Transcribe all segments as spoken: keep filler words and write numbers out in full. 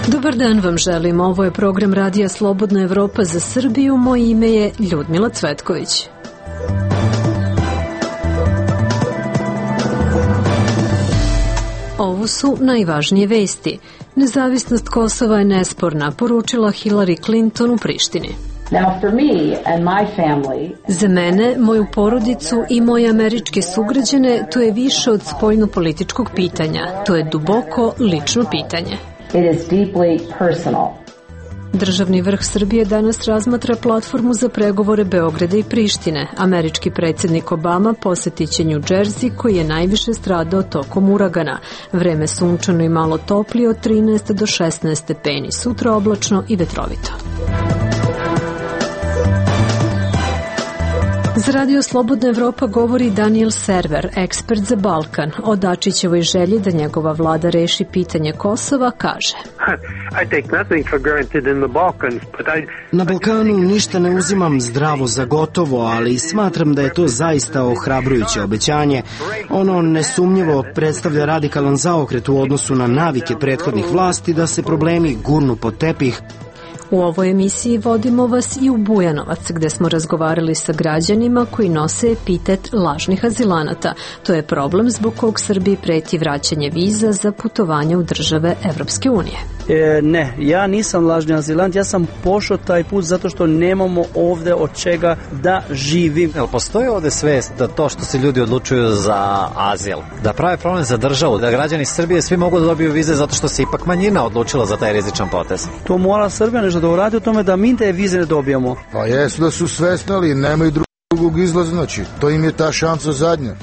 Dobar dan vam želim. Ovo je program Radija Slobodna Evropa za Srbiju. Moje ime je Ljudmila Cvetković. Ovo su najvažnije vesti. Nezavisnost Kosova je nesporna, poručila Hillary Clinton u Prištini. Now for me and my family, Za mene, moju porodicu i moje američke sugrađane to je više od spoljno-političkog pitanja. To je duboko lično pitanje. it is deeply personal. Državni vrh Srbije danas razmatra platformu za pregovore Beograda i Prištine. Američki predsjednik Obama posetit će New Jersey, koji je najviše stradao tokom uragana. Vreme sunčano i malo toplije od trinaest do šesnaest stepeni, sutra oblačno i vetrovito. Za Radio Slobodna Evropa govori Daniel Server, ekspert za Balkan. O Dačićevoj želji da njegova vlada reši pitanje Kosova kaže: Na Balkanu ništa ne uzimam zdravo za gotovo, ali smatram da je to zaista ohrabrujuće obećanje. Ono nesumnjivo predstavlja radikalan zaokret u odnosu na navike prethodnih vlasti da se problemi gurnu pod tepih. U ovoj emisiji vodimo vas i u Bujanovac, gde smo razgovarali sa građanima koji nose epitet lažnih azilanata. To je problem zbog kog Srbiji preti vraćanje viza za putovanje u države Evropske unije. E, ne, ja nisam lažni azilant, ja sam pošao taj put zato što nemamo ovde od čega da živim. Jel postoji ovde svest da to što se ljudi odlučuju za azil, da prave problem za državu, da građani Srbije svi mogu da dobiju vize zato što se ipak manjina odlučila za taj rizičan potez? To mora Srbija nešto da uradi o tome da mi te vize ne dobijamo. Pa jesu da su svesni, ali nemaju drugog izlaza, znači to im je ta šansa zadnja.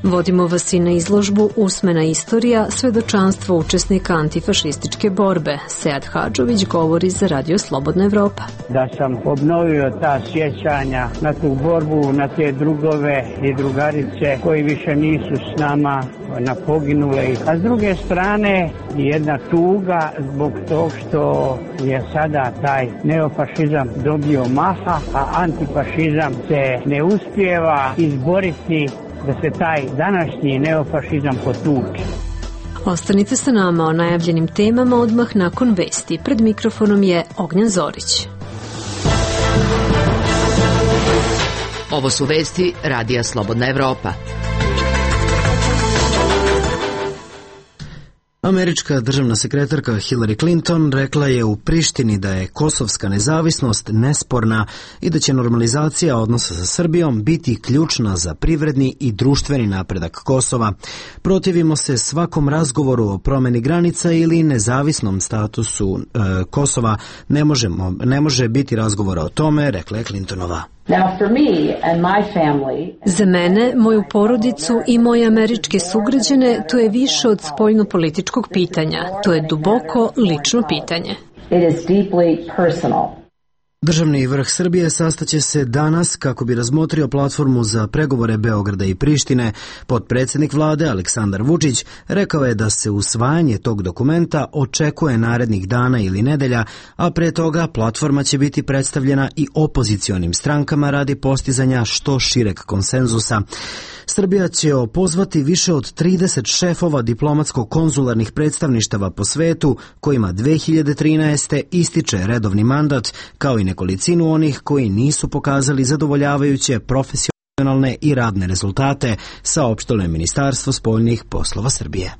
Vodimo vas i na izložbu Usmena istorija, svedočanstvo učesnika antifašističke borbe. Sead Hadžović govori za Radio Slobodna Evropa. Da sam obnovio ta sjećanja na tu borbu, na te drugove i drugarice koji više nisu s nama, na poginule. A s druge strane jedna tuga zbog tog što je sada taj neofašizam dobio maha, a antifašizam se ne uspijeva izboriti da se taj današnji neofašizam potuče. Ostanite sa nama o najavljenim temama odmah nakon vesti. Pred mikrofonom je Ognjan Zorić. Ovo su vesti Radija Slobodna Evropa. Američka državna sekretarka Hillary Clinton rekla je u Prištini da je kosovska nezavisnost nesporna i da će normalizacija odnosa sa Srbijom biti ključna za privredni i društveni napredak Kosova. Protivimo se svakom razgovoru o promeni granica ili nezavisnom statusu e, Kosova. Ne, možemo, ne može biti razgovora o tome, rekla je Clintonova. Now for me and my family, Za mene, moju porodicu i moje američke sugrađane to je više od spoljno-političkog pitanja. To je duboko lično pitanje. it is deeply personal. Državni vrh Srbije sastaće se danas kako bi razmotrio platformu za pregovore Beograda i Prištine. Potpredsjednik vlade Aleksandar Vučić rekao je da se usvajanje tog dokumenta očekuje narednih dana ili nedelja, a pre toga platforma će biti predstavljena i opozicionim strankama radi postizanja što šireg konsenzusa. Srbija će opozvati više od trideset šefova diplomatsko-konzularnih predstavništava po svetu, kojima dve hiljade trinaeste. ističe redovni mandat, kao i nekolicinu onih koji nisu pokazali zadovoljavajuće profesionalne i radne rezultate, saopštilo je Ministarstvo spoljnih poslova Srbije.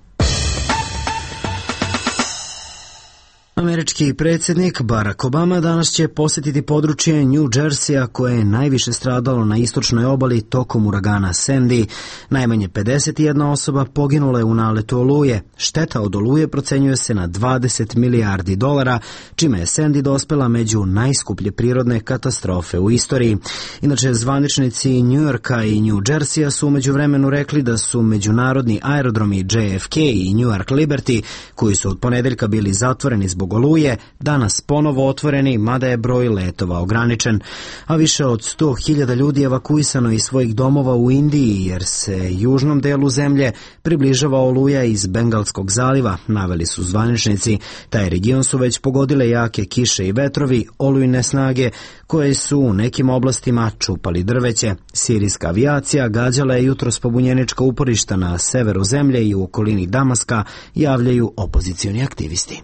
Američki predsjednik Barack Obama danas će posjetiti područje New Jerseya koje je najviše stradalo na istočnoj obali tokom uragana Sandy. Najmanje pedeset jedna osoba poginula je u naletu oluje. Šteta od oluje procenjuje se na dvadeset milijardi dolara, čime je Sandy dospela među najskuplje prirodne katastrofe u istoriji. Inače, zvaničnici New Yorka i New Jerseya su umeđu vremenu rekli da su međunarodni aerodromi J F K i New York Liberty, koji su od ponedeljka bili zatvoreni zbog oluje, danas ponovo otvoreni, mada je broj letova ograničen. A više od sto hiljada ljudi evakuisano iz svojih domova u Indiji, jer se južnom delu zemlje približava oluja iz Bengalskog zaliva, naveli su zvaničnici. Taj region su već pogodile jake kiše i vetrovi, olujne snage, koje su u nekim oblastima čupali drveće. Sirijska avijacija gađala je jutros pobunjenička uporišta na severu zemlje i u okolini Damaska, javljaju opozicioni aktivisti.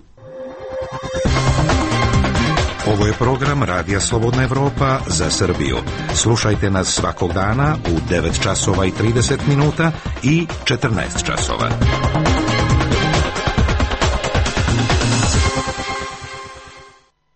Ovo je program Radija Slobodna Evropa za Srbiju. Slušajte nas svakog dana u devet časova i trideset minuta i četrnaest časova.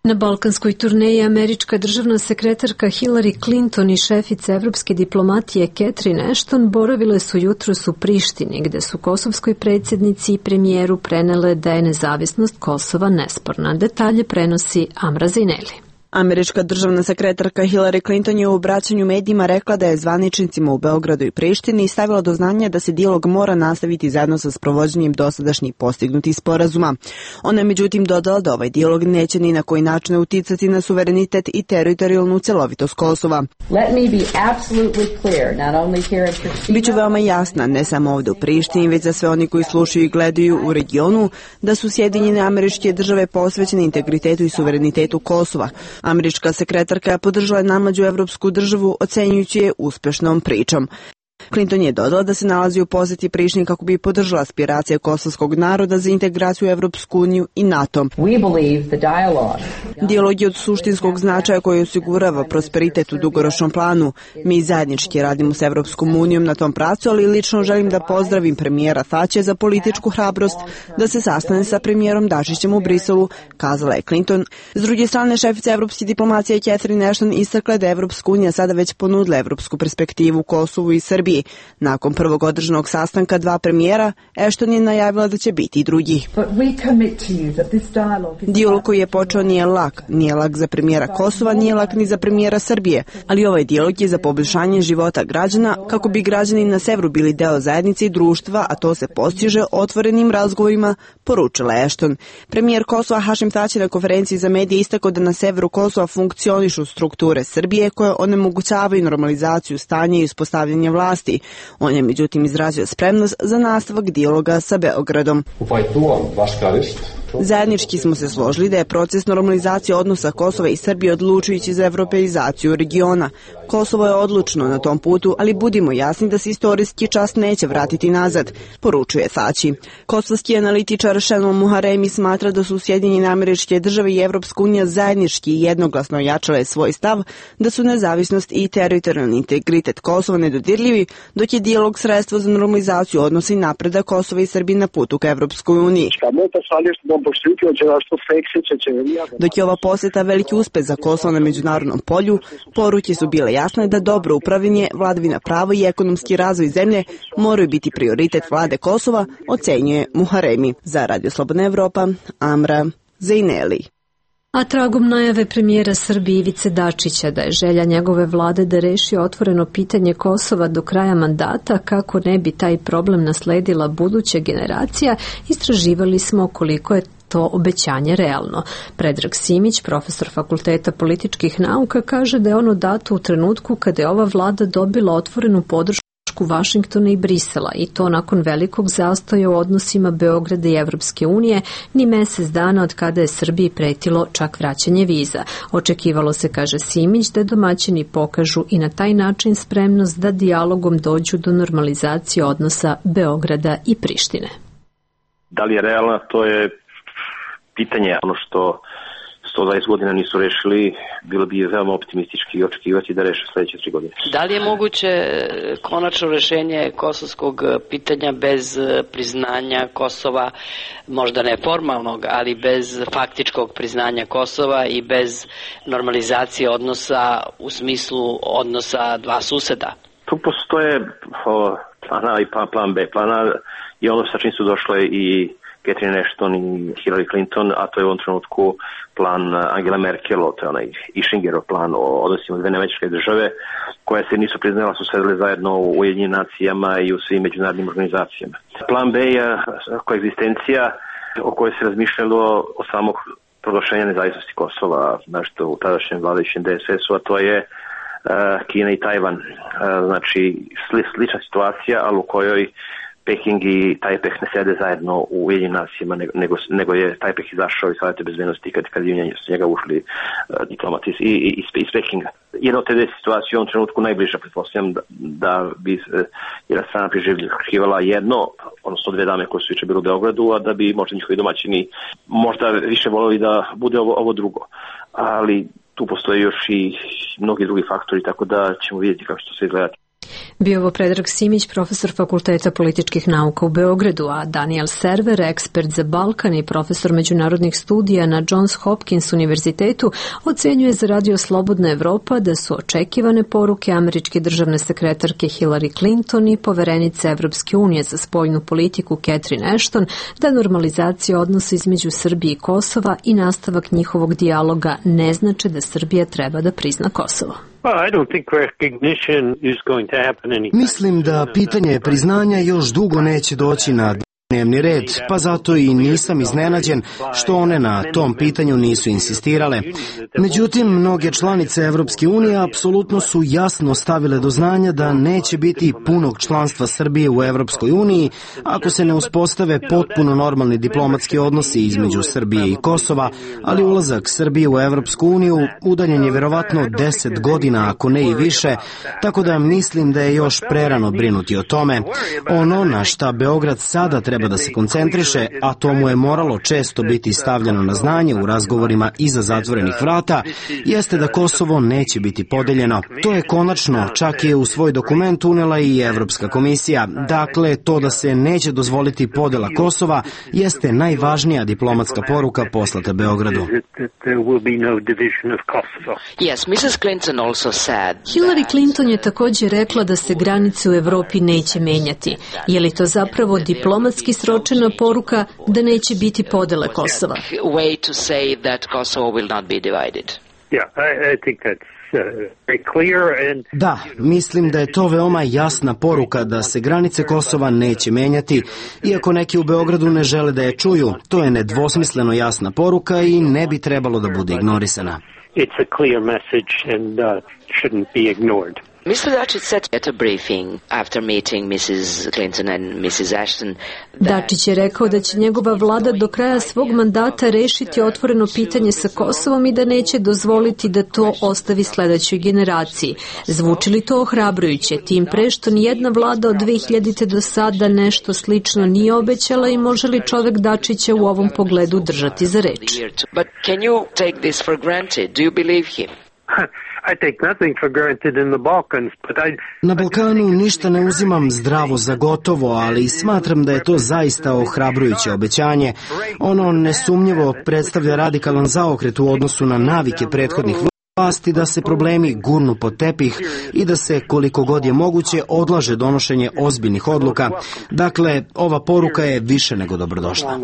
Na balkanskoj turneji američka državna sekretarka Hillary Clinton i šefica evropske diplomatije Catherine Ashton boravile su jutros u Prištini, gde su kosovskoj predsjednici i premijeru prenele da je nezavisnost Kosova nesporna. Detalje prenosi Amra Zineli. Američka državna sekretarka Hillary Clinton je u obraćanju medijima rekla da je zvaničnicima u Beogradu i Prištini stavila do znanja da se dijalog mora nastaviti zajedno sa sprovođenjem dosadašnjih postignutih sporazuma. Ona je međutim dodala da ovaj dijalog neće ni na koji način uticati na suverenitet i teritorijalnu celovitost Kosova. Biću veoma jasna, ne samo ovde u Prištini, već za sve oni koji slušaju i gledaju u regionu, da su Sjedinjene Američke Države posvećene integritetu i suverenitetu Kosova. Američka sekretarka je podržala najmlađu evropsku državu, ocenjujući je uspešnom pričom. Clinton je dodala da se nalazi u poseti Prištini kako bi podržala aspiracije kosovskog naroda za integraciju u Evropsku uniju i NATO. Dijalog je od suštinskog značaja koji osigurava prosperitet u dugoročnom planu. Mi zajednički radimo s Evropskom unijom na tom pravcu, ali lično želim da pozdravim premijera Thače za političku hrabrost da se sastane sa premijerom Dačićem u Briselu, kazala je Clinton. S druge strane, šefica evropske diplomacije Catherine Ashton istakla da je Evropska unija sada već ponudila evropsku perspektivu Kosovu i Srbiji. Nakon prvog održanog sastanka dva premijera, Ashton je najavila da će biti i drugi. Dijalog koji je počeo nije lak, nije lak za premijera Kosova, nije lak ni za premijera Srbije, ali ovaj dijalog je za poboljšanje života građana kako bi građani na severu bili deo zajednice i društva, a to se postiže otvorenim razgovorima, poručila Ashton. Premijer Kosova Hašim Thači na konferenciji za medije istakao da na severu Kosova funkcionišu strukture Srbije koje onemogućavaju normalizaciju stanja i uspostavljanje vlasti. On je međutim izrazio spremnost za nastavak dijaloga sa Beogradom. Zajednički smo se složili da je proces normalizacije odnosa Kosova i Srbije odlučujući za evropeizaciju regiona. Kosovo je odlučno na tom putu, ali budimo jasni da se istorijski čas neće vratiti nazad, poručuje Thači. Kosovski analitičar Shannon Muharemi smatra da su Sjedinjene Američke Države i Evropska unija zajednički i jednoglasno ojačale svoj stav da su nezavisnost i teritorijalni integritet Kosova nedodirljivi, dok je dijalog sredstvo za normalizaciju odnosa i napredak Kosova i Srbije na putu ka Evropskoj uniji. Dok je ova posjeta veliki uspeh za Kosovo na međunarodnom polju, poruke su bile jasne da dobro upravljanje, vladavina prava i ekonomski razvoj zemlje moraju biti prioritet vlade Kosova, ocenjuje Muharemi. Za Radio Slobodna Evropa, Amra Zineli. A tragom najave premijera Srbije Ivice Dačića da je želja njegove vlade da reši otvoreno pitanje Kosova do kraja mandata kako ne bi taj problem nasledila buduća generacija, istraživali smo koliko je to obećanje realno. Predrag Simić, profesor Fakulteta političkih nauka, kaže da je ono dato u trenutku kada je ova vlada dobila otvorenu podršku Vašingtona i Brisela i to nakon velikog zastoja u odnosima Beograda i Evropske unije, ni mesec dana od kada je Srbiji pretilo čak vraćanje viza. Očekivalo se, kaže Simić, da domaćini pokažu i na taj način spremnost da dijalogom dođu do normalizacije odnosa Beograda i Prištine. Da li je realno, to je pitanje. Ono što sto dvadeset godina nisu rešili, bilo bi veoma optimistički očekivati da reše sledeće tri godine. Da li je moguće konačno rešenje kosovskog pitanja bez priznanja Kosova, možda ne formalnog, ali bez faktičkog priznanja Kosova i bez normalizacije odnosa u smislu odnosa dva suseda? Tu postoje o, plan A i plan B. Plan A je ono sa čim su došle i Catherine Ashton i Hillary Clinton, a to je u ovom trenutku plan Angela Merkel, to je onaj Ishingerov plan o odnosima dve američke države, koje se nisu priznala, su sedele zajedno u Ujedinjenim nacijama i u svim međunarodnim organizacijama. Plan B je koegzistencija o kojoj se razmišljalo od samog proglašenja nezavisnosti Kosova, nešto u tadašnjem vladajućem D S S-u, a to je uh, Kina i Tajvan. Uh, znači, sli, slična situacija, ali u kojoj Peking i Tajpeh ne sede zajedno u Ujedinjenim nacijama, nego, nego je Tajpeh izašao iz Savjeta bezbednosti kad, kad je s njega ušli uh, diplomati iz, iz, iz Pekinga. Jedna od te dve situacije u ovom trenutku najbliža, pretpostavljam da, da bi uh, jedna strana priželjkivala jedno, odnosno dve dame koje su juče bile u Beogradu, a da bi možda njihovi domaćini možda više voljeli da bude ovo, ovo drugo. Ali tu postoje još i mnogi drugi faktori, tako da ćemo vidjeti kako će to sve izgledati. Bio ovo Predrag Simić, profesor Fakulteta političkih nauka u Beogradu, a Daniel Server, ekspert za Balkan i profesor međunarodnih studija na Johns Hopkins univerzitetu, ocenjuje za Radio Slobodna Evropa da su očekivane poruke američke državne sekretarke Hillary Clinton i poverenice Evropske unije za spoljnu politiku Catherine Ashton da normalizacija odnosa između Srbije i Kosova i nastavak njihovog dijaloga ne znače da Srbija treba da prizna Kosovo. Mislim da pitanje priznanja još dugo neće doći na dnevni red, pa zato i nisam iznenađen što one na tom pitanju nisu insistirale. Međutim, mnoge članice Evropske unije apsolutno su jasno stavile do znanja da neće biti punog članstva Srbije u Evropskoj uniji ako se ne uspostave potpuno normalni diplomatski odnosi između Srbije i Kosova, ali ulazak Srbije u Evropsku uniju udaljen je verovatno deset godina, ako ne i više, tako da mislim da je još prerano brinuti o tome. Ono na šta Beograd sada treba da se koncentriše, a to mu je moralo često biti stavljeno na znanje u razgovorima iza zatvorenih vrata, jeste da Kosovo neće biti podeljeno. To je konačno, čak je u svoj dokument unela i Evropska komisija. Dakle, to da se neće dozvoliti podela Kosova jeste najvažnija diplomatska poruka poslata Beogradu. Hillary Clinton je također rekla da se granice u Evropi neće menjati. Je li to zapravo diplomatski sročena poruka da neće biti podele Kosova? Da, mislim da je to veoma jasna poruka da se granice Kosova neće menjati, iako neki u Beogradu ne žele da je čuju. To je nedvosmisleno jasna poruka i ne bi trebalo da bude ignorisana. It's a clear message and uh, shouldn't be ignored. mister Dačić said at a briefing after meeting missus Clinton and missus Ashton. Dačić je rekao da će njegova vlada do kraja svog mandata rešiti otvoreno pitanje sa Kosovom i da neće dozvoliti da to ostavi sledećoj generaciji. Zvuči li to ohrabrujuće, tim pre što nijedna vlada od dve hiljadite do sada nešto slično nije obećala i može li čovek Dačića u ovom pogledu držati za reč? But can you take this for granted? Do you believe him? I take nothing for granted in the Balkans, but I... Na Balkanu ništa ne uzimam zdravo za gotovo, ali smatram da je to zaista ohrabrujuće obećanje. Ono nesumnjivo predstavlja radikalan zaokret u odnosu na navike prethodnih vlasti da se problemi gurnu pod tepih i da se koliko god je moguće odlaže donošenje ozbiljnih odluka. Dakle, ova poruka je više nego dobrodošla.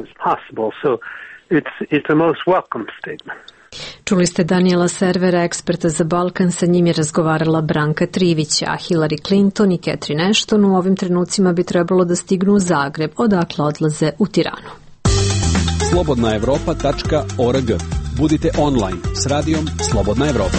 Čuli ste Daniela Servera, eksperta za Balkan, sa njim je razgovarala Branka Trivić, a Hillary Clinton i Catherine Ashton u ovim trenucima bi trebalo da stignu u Zagreb, odakle odlaze u Tiranu. slobodna evropa tačka org. Budite online s radijom Slobodna Evropa.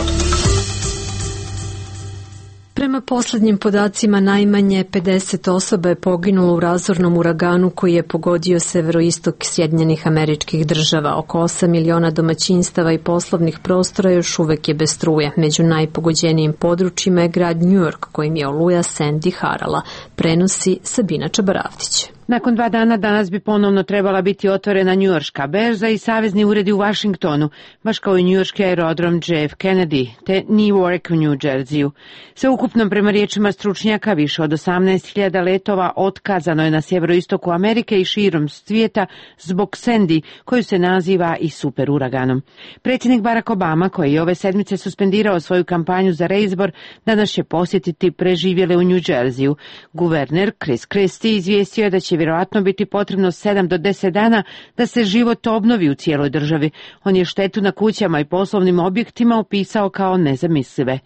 Prema poslednjim podacima, najmanje pedeset osoba je poginulo u razornom uraganu koji je pogodio severoistok Sjedinjenih Američkih Država. Oko osam miliona domaćinstava i poslovnih prostora još uvek je bez struje. Među najpogođenijim područjima je grad New York, kojim je oluja Sandy harala. Prenosi Sabina Čabaravdić. Nakon dva dana danas bi ponovno trebala biti otvorena njujorška berza i savezni uredi u Vašingtonu, baš kao i njujorški aerodrom J F Kennedy, te Newark u New Jerseyu. Sve ukupno, prema riječima stručnjaka, više od osamnaest hiljada letova otkazano je na sjeveroistoku Amerike i širom svijeta zbog Sandy, koju se naziva i super uraganom. Predsjednik Barack Obama, koji je ove sedmice suspendirao svoju kampanju za reizbor, danas će posjetiti preživjele u New Jerseyu. Guverner Chris Christie izvijestio je da će vjerojatno biti potrebno sedam do deset dana da se život obnovi u cijeloj državi. On je štetu na kućama i poslovnim objektima opisao kao nezamislive.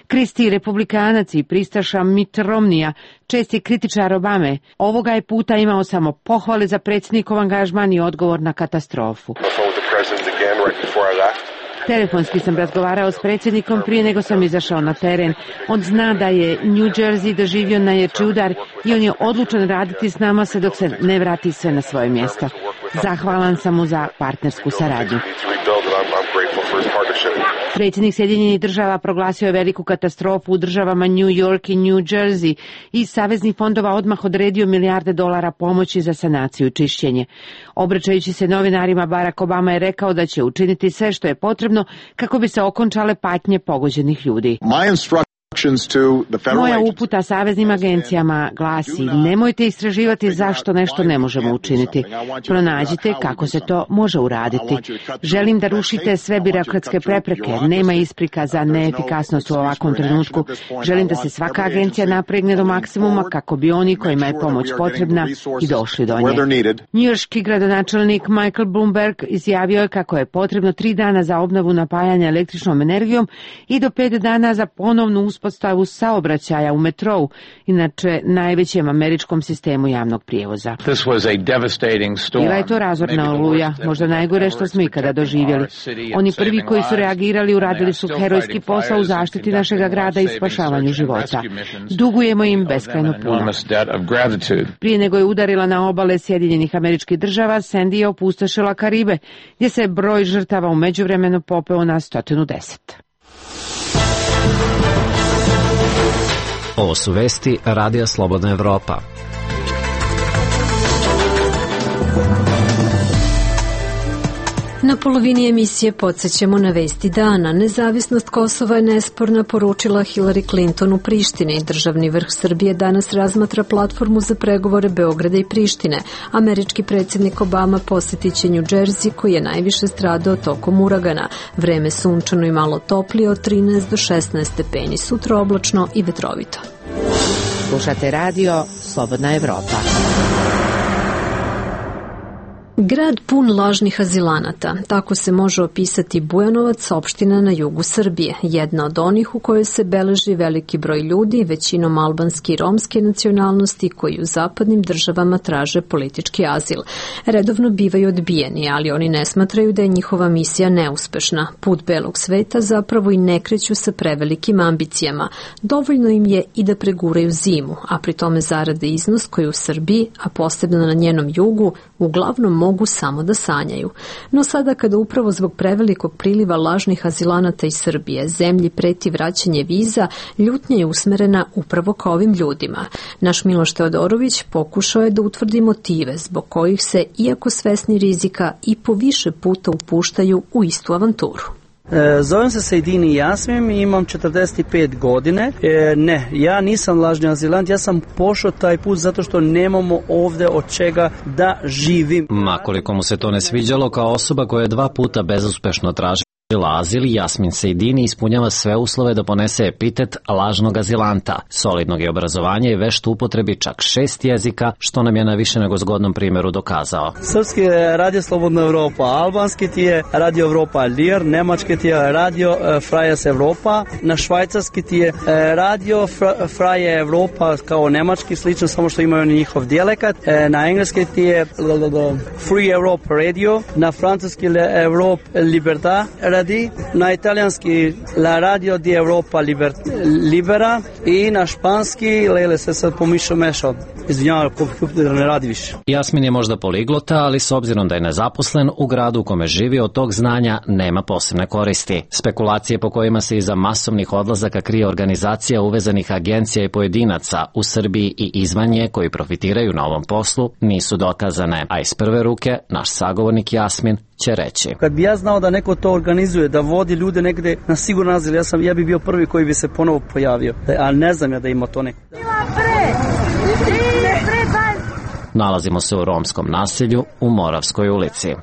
Christie, republikanac i pristaša Mitt Romneya, česti kritičar Obame, ovoga je puta imao samo pohvale za predsjednikov angažman i odgovor na katastrofu. Telefonski sam razgovarao s predsjednikom prije nego sam izašao na teren. On zna da je New Jersey doživio najjači udar i on je odlučan raditi s nama sve dok se ne vrati sve na svoje mjesto. Zahvalan sam mu za partnersku saradnju. Predsjednik Sjedinjenih država proglasio je veliku katastrofu u državama New York i New Jersey i iz saveznih fondova odmah odredio milijarde dolara pomoći za sanaciju i čišćenje. Obraćajući se novinarima, Barack Obama je rekao da će učiniti sve što je potrebno kako bi se okončale patnje pogođenih ljudi. Moja uputa saveznim agencijama glasi: nemojte istraživati zašto nešto ne možemo učiniti. Pronađite kako se to može uraditi. Želim da rušite sve birokratske prepreke. Nema isprika za neefikasnost u ovakvom trenutku. Želim da se svaka agencija napregne do maksimuma kako bi oni kojima je pomoć potrebna i došli do nje. Njujorški gradonačelnik Michael Bloomberg izjavio je kako je potrebno tri dana za obnovu napajanja električnom energijom i do pet dana za ponovnu uspostavu saobraćaja u metrou, inače najvećem američkom sistemu javnog prijevoza. Bila je to razorna oluja, možda najgore što smo ikada doživjeli. Oni prvi koji su reagirali uradili su herojski posao u zaštiti našega grada i spašavanju života. Dugujemo im beskrajno puno. Prije nego je udarila na obale Sjedinjenih Američkih Država, Sandy je opustošila Karibe, gdje se broj žrtava u međuvremenu popeo na sto deset. Ovo su vesti Radija Slobodna Evropa. Na polovini emisije podsjećamo na vesti dana. Nezavisnost Kosova je nesporna, poručila Hillary Clinton u Prištini. Državni vrh Srbije danas razmatra platformu za pregovore Beograda i Prištine. Američki predsjednik Obama posjetit će New Jersey, koji je najviše stradao tokom uragana. Vreme sunčano i malo toplije od trinaest do šesnaest stepeni. Sutra oblačno i vetrovito. Slušate radio Slobodna Evropa. Grad pun lažnih azilanata, tako se može opisati Bujanovac, opština na jugu Srbije, jedna od onih u kojoj se beleži veliki broj ljudi, većinom albanske i romske nacionalnosti, koji u zapadnim državama traže politički azil. Redovno bivaju odbijeni, ali oni ne smatraju da je njihova misija neuspešna. Put belog sveta zapravo i ne kreću sa prevelikim ambicijama. Dovoljno im je i da preguraju zimu, a pri tome zarade iznos koji u Srbiji, a posebno na njenom jugu, uglavnom mogu samo da sanjaju. No sada kada upravo zbog prevelikog priliva lažnih azilanata iz Srbije zemlji preti vraćanje viza, ljutnja je usmerena upravo ka ovim ljudima. Naš Miloš Teodorović pokušao je da utvrdi motive zbog kojih se, iako svesni rizika, i po više puta upuštaju u istu avanturu. E, zovem se Sejdini Jasmin i imam četrdeset pet godine. E, ne, ja nisam lažni azilant, ja sam pošao taj put zato što nemamo ovde od čega da živim. Makoliko mu se to ne sviđalo, kao osoba koja je dva puta bezuspešno tražila azil, Jasmin Sejdini ispunjava sve uslove da ponese epitet lažnog azilanta. Solidnog je obrazovanja i vešt upotrebi čak šest jezika, što nam je na više nego zgodnom primjeru dokazao. Srpski je Radio Slobodna Evropa, albanski ti je Radio Evropa Lir, nemački ti je Radio Freies Evropa, na švajcarski ti je Radio Freie Evropa kao nemački, slično samo što imaju njihov dijalekat, na engleski ti je Free Europe Radio, na francuski Europe Libertà radi, na italijanski La Radio di Europa Liber, Libera i na španski, lele se sad pomišao mešao, izvinjavam, kompjuter ne radi više. Jasmin je možda poliglota, ali s obzirom da je nezaposlen, u gradu u kome živi od tog znanja nema posebne koristi. Spekulacije po kojima se iza masovnih odlazaka krije organizacija uvezanih agencija i pojedinaca u Srbiji i izvan nje koji profitiraju na ovom poslu nisu dokazane, a iz prve ruke naš sagovornik Jasmin će reći. Kad bi ja znao da neko to organizuje, da vodi ljude negde na siguran azil, ja, sam, ja bi bio prvi koji bi se ponovo pojavio, a ne znam ja da ima to neko. Nalazimo se u romskom naselju u Moravskoj ulici.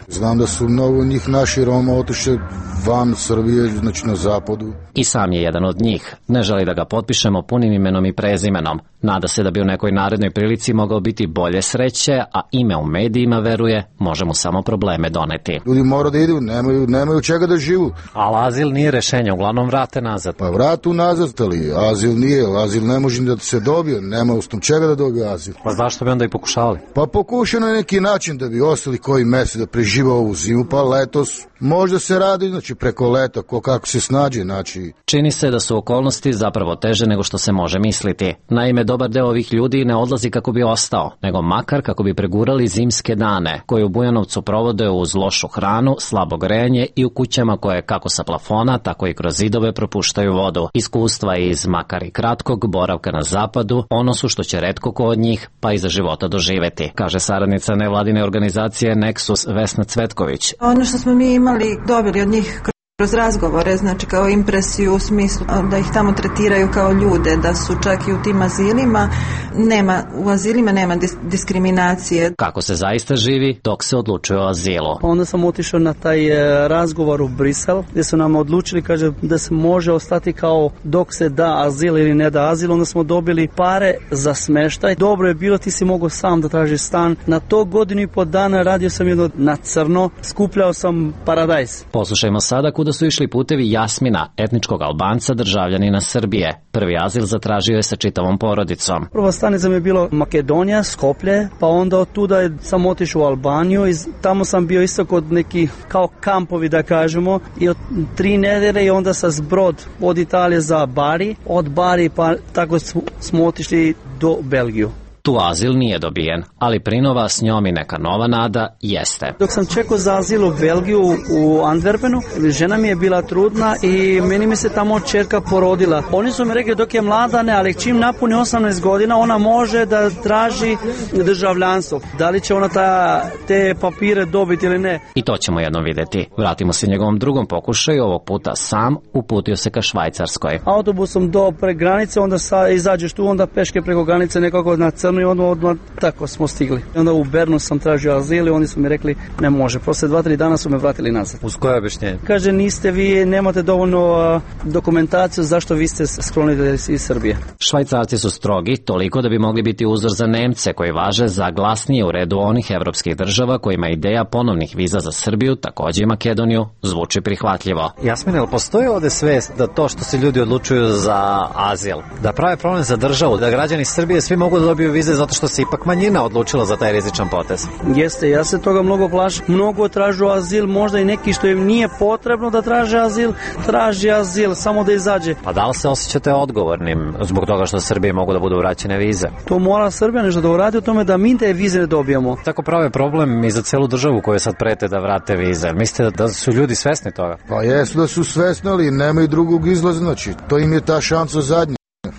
Znam da su mnogo njih naši Roma otišli van Srbije, znači na zapadu. I sam je jedan od njih. Ne želi da ga potpišemo punim imenom i prezimenom. Nada se da bi u nekoj narednoj prilici mogao biti bolje sreće, a ime u medijima, veruje, može mu samo probleme doneti. Ljudi moraju da idu, nemaju, nemaju čega da živu. Ali azil nije rešenje, uglavnom vrate nazad. Pa vratu nazad, ali azil nije, azil ne može da se dobije, nema osnov čega da dobije azil. Pa zašto bi onda i pokušavali? Pa pokušao na neki način da bi ostali koji mesec da preživa ovu zimu, pa letos možda se radi, znači preko leta, ko kako se snađe, znači. Čini se da su okolnosti zapravo teže nego što se može misliti. Naime, dobar deo ovih ljudi ne odlazi kako bi ostao, nego makar kako bi pregurali zimske dane, koje u Bujanovcu provode uz lošu hranu, slabo grejanje i u kućama koje kako sa plafona, tako i kroz zidove propuštaju vodu. Iskustva iz makar i kratkog boravka na zapadu, ono su što će retko ko od njih, pa i za života doživeti, kaže saradnica nevladine organizacije Nexus Vesna Cvetković. Ono što smo mi imali, dobili od njih kroz razgovore, znači kao impresiju u smislu da ih tamo tretiraju kao ljude, da su čak i u tim azilima, nema, u azilima nema dis- diskriminacije. Kako se zaista živi dok se odlučuje o azilu? Onda sam otišao na taj e, razgovor u Brisel, gdje su nam odlučili, kaže, da se može ostati kao dok se da azil ili ne da azil. Onda smo dobili pare za smeštaj. Dobro je bilo, ti si mogao sam da tražiš stan. Na to godinu i po dana radio sam jedno na crno, skupljao sam paradajz. Poslušajmo sada kuda su išli putevi Jasmina, etničkog Albanca, državljanina Srbije. Prvi azil zatražio je sa čitavom porodicom. Prva stanica mi je bilo Makedonija, Skoplje, pa onda od tuda sam otišao u Albaniju i tamo sam bio isto kod neki kao kampovi, da kažemo, i od tri nedelje i onda sa zbrod od Italije za Bari, od Bari pa tako smo otišli do Belgiju. Tu azil nije dobijen, ali prinova s njom i neka nova nada jeste. Dok sam čekao za azil u Belgiju u Antwerpenu, žena mi je bila trudna i meni mi se tamo čerka porodila. Oni su mi rekli dok je mlada ne, ali čim napuni osamnaest godina ona može da traži državljanstvo. Da li će ona ta, te papire dobiti ili ne? I to ćemo jednom vidjeti. Vratimo se njegovom drugom pokušaju, ovog puta sam, uputio se ka Švajcarskoj. Autobusom do pre granice, onda sa, izađeš tu, onda peške preko granice nekako na crno i odmah, odmah tako smo stigli. Onda u Bernu sam tražio azil i oni su mi rekli ne može. Posle dva, tri dana su me vratili nazad. Uz koje objašnjenje? Kaže niste vi, nemate dovoljno uh, dokumentaciju zašto vi ste sklonili iz Srbije. Švajcarci su strogi toliko da bi mogli biti uzor za Nemce koji važe za glasnije u redu onih evropskih država kojima ideja ponovnih viza za Srbiju, takođe i Makedoniju, zvuči prihvatljivo. Jasmine, ali postoji ovde svest da to što se ljudi odlučuju za azil, da prave problem za državu, da građani Srbije svi mogu da dobiju vize zato što se ipak manjina odlučila za taj rizičan potez? Jeste, ja se toga mnogo plašim. Mnogo tražu azil, možda i neki što im nije potrebno da traže azil, traži azil, samo da izađe. Pa da li se osjećate odgovornim zbog toga što Srbije mogu da budu vraćene vize? To mora Srbija nešto da uradi o tome da mi te vize ne dobijamo. Tako prave problem i za celu državu koju sad prete da vrate vize. Mislite da su ljudi svesni toga? Pa jesu da su svesni, ali nemaju drugog izlaza, znači to im je ta šansa zadnja.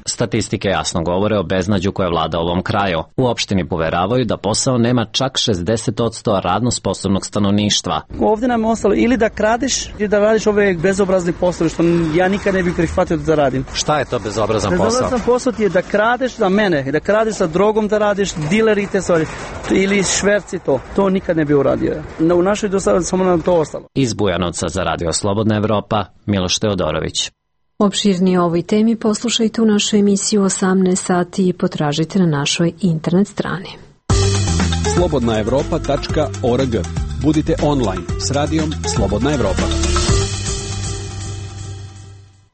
Statistike jasno govore o beznađu koje vlada ovom kraju. U opštini poveravaju da posao nema čak šezdeset posto radno sposobnog stanovništva. Ovdje nam je ostalo ili da kradeš ili da radiš ove bezobrazni poslovi što ja nikad ne bih prihvatio da radim. Šta je to bezobrazan posao? Bezobrazan posao ti je da kradeš za mene, da kradeš sa drogom, da radiš dileri te stvari ili šverci to. To nikad ne bi uradio. U našoj dostavi samo nam to ostalo. Iz Bujanovca za Radio Slobodna Evropa, Miloš Teodorović. Opširnije o ovoj temi poslušajte u našoj emisiji u osamnaest sati i potražite na našoj internet strani. slobodna evropa tačka org. Budite online s radijom Slobodna Evropa.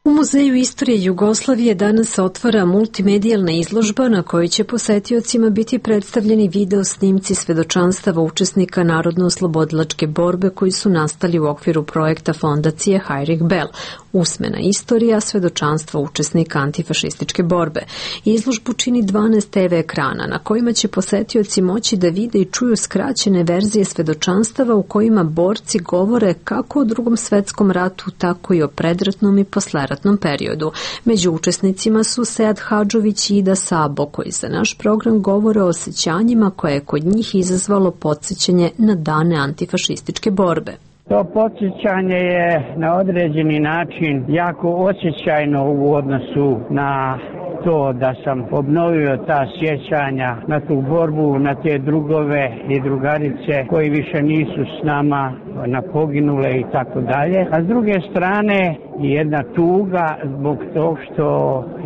U Muzeju istorije Jugoslavije danas se otvara multimedijalna izložba na kojoj će posetiocima biti predstavljeni video snimci svedočanstava učesnika Narodno-oslobodilačke borbe koji su nastali u okviru projekta fondacije Heinrich Bell, usmena istorija svedočanstva učesnika antifašističke borbe. Izložbu čini dvanaest te ve ekrana na kojima će posetioci moći da vide i čuju skraćene verzije svedočanstava u kojima borci govore kako o Drugom svetskom ratu, tako i o predratnom i posleratnom periodu. Među učesnicima su Sead Hadžović i Ida Sabo, koji za naš program govore o osjećanjima koje je kod njih izazvalo podsjećanje na dane antifašističke borbe. To podsjećanje je na određeni način jako osjećajno u odnosu na to da sam obnovio ta sjećanja na tu borbu, na te drugove i drugarice koji više nisu s nama, na poginule i tako dalje. A s druge strane jedna tuga zbog tog što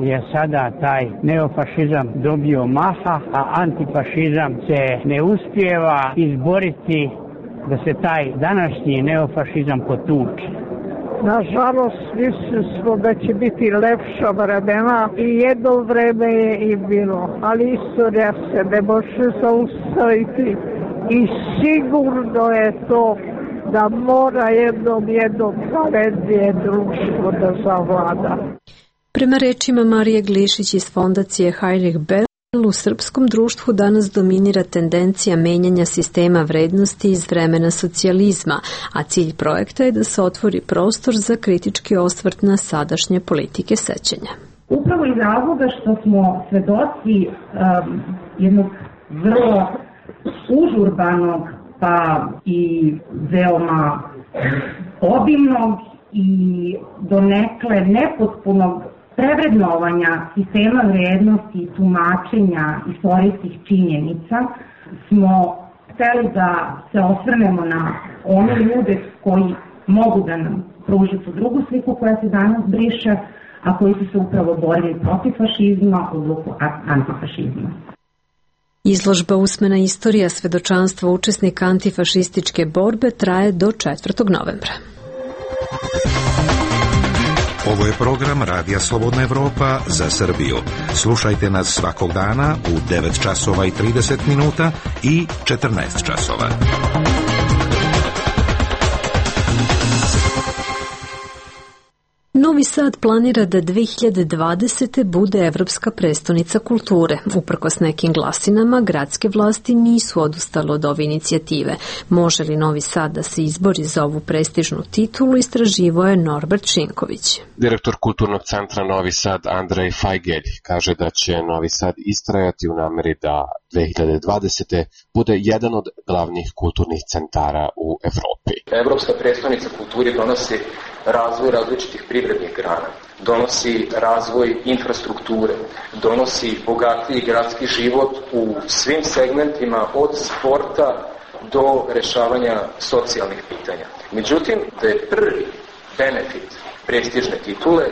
je sada taj neofašizam dobio maha, a antifašizam se ne uspijeva izboriti da se taj današnji neofašizam potuče. Nažalost, mislili smo da će biti lepša vremena i jedno vreme je i bilo, ali istorija se ne može zaustaviti i sigurno je to da mora jednom jednom pravednije društvo da zavlada. Prema rečima Marije Glišić iz fondacije Heinrich Böll, u srpskom društvu danas dominira tendencija menjanja sistema vrednosti iz vremena socijalizma, a cilj projekta je da se otvori prostor za kritički osvrt na sadašnje politike sećanja. Upravo iz razloga što smo svedoci um, jednog vrlo užurbanog pa i veoma obimnog i donekle nepotpunog prevrednovanja sistema vrednosti i tumačenja istorijskih činjenica smo hteli da se osvrnemo na one ljude koji mogu da nam pruže tu drugu sliku koja se danas briše, a koji su se upravo borili protiv fašizma u duhu antifašizma. Izložba Usmena istorija svedočanstva učesnika antifašističke borbe traje do četvrtog novembra. Ovo je program Radija Slobodna Evropa za Srbiju. Slušajte nas svakog dana u devet časova i trideset minuta i četrnaest časova. Novi Sad planira da dve hiljade dvadesete. bude Evropska prestonica kulture. Uprkos nekim glasinama, gradske vlasti nisu odustale od ove inicijative. Može li Novi Sad da se izbori za ovu prestižnu titulu, istraživao je Norbert Šinković. Direktor Kulturnog centra Novi Sad Andrej Fajgelj kaže da će Novi Sad istrajati u nameri da dve hiljade dvadesete. bude jedan od glavnih kulturnih centara u Evropi. Evropska prestonica kulture donosi razvoj različitih privrednih grana, donosi razvoj infrastrukture, donosi bogatiji gradski život u svim segmentima od sporta do rešavanja socijalnih pitanja. Međutim, da je prvi benefit prestižne titule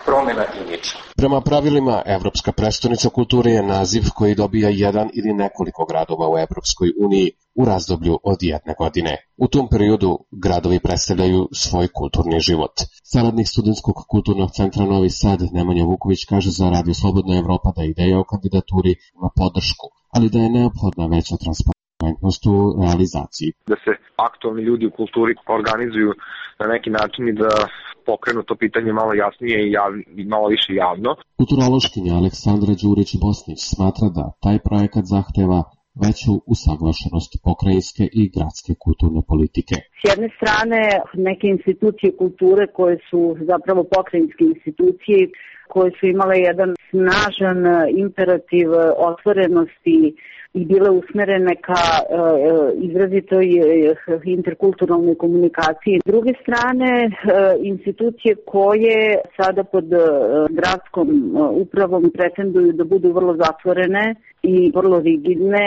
promjena imidža. Prema pravilima, Evropska prestonica kulture je naziv koji dobija jedan ili nekoliko gradova u Evropskoj uniji u razdoblju od jedne godine. U tom periodu gradovi predstavljaju svoj kulturni život. Saradnik Studentskog kulturnog centra Novi Sad Nemanja Vuković kaže za Radio Slobodna Evropa da ideja o kandidaturi ima podršku, ali da je neophodna veća transparentnost u realizaciji. Da se aktualni ljudi u kulturi organizuju na neki način i da pokrenu to pitanje malo jasnije i, jav, i malo više javno. Kulturološkinja Aleksandra Đurić-Bosnić smatra da taj projekat zahteva veću usaglašenost pokrajinske i gradske kulturne politike. S jedne strane, neke institucije kulture koje su zapravo pokrajinske institucije, koje su imale jedan snažan imperativ otvorenosti i bile usmerene ka e, izrazitoj interkulturalnoj komunikaciji. S druge strane, e, institucije koje sada pod e, gradskom e, upravom pretenduju da budu vrlo zatvorene i vrlo rigidne,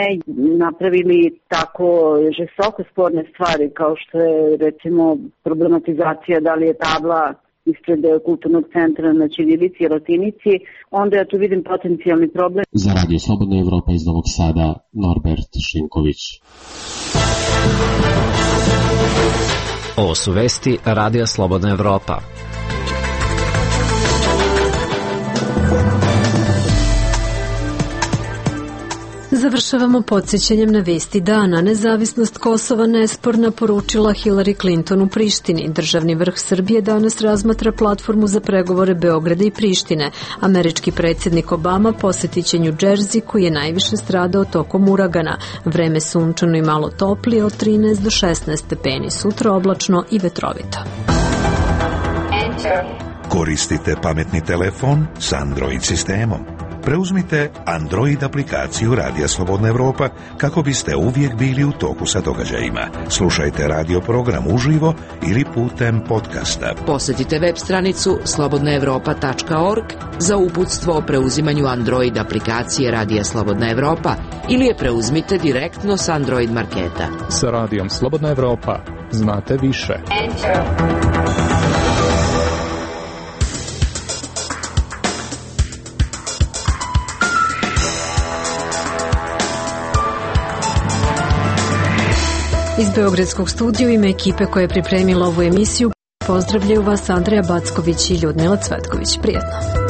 napravili tako žestoko sporne stvari kao što je recimo problematizacija da li je tabla ispred kulturnog centra na ćirilici i latinici, onda ja tu vidim potencijalni problem. Za Radio Slobodna Evropa iz Novog Sada, Norbert Šinković. Ovo su vesti Radija Slobodna Evropa. Završavamo podsjećanjem na vesti dana. Nezavisnost Kosova nesporna, poručila Hillary Clinton u Prištini. Državni vrh Srbije danas razmatra platformu za pregovore Beograda i Prištine. Američki predsjednik Obama posjetit će New Jersey, koji je najviše stradao tokom uragana. Vreme sunčano i malo toplije, od trinaest do šesnaest stepeni. Sutra oblačno i vetrovito. Koristite pametni telefon s Android sistemom. preuzmite Android aplikaciju Radija Slobodna Evropa kako biste uvijek bili u toku sa događajima. Slušajte radio program uživo ili putem podcasta. Posjetite web stranicu slobodna evropa tačka org za uputstvo o preuzimanju Android aplikacije Radija Slobodna Evropa ili je preuzmite direktno s Android marketa. Sa Radijom Slobodna Evropa znate više. Iz Beogradskog studija u ime ekipe koja je pripremila ovu emisiju pozdravljaju vas Andreja Backović i Ljudmila Cvetković. Prijetno.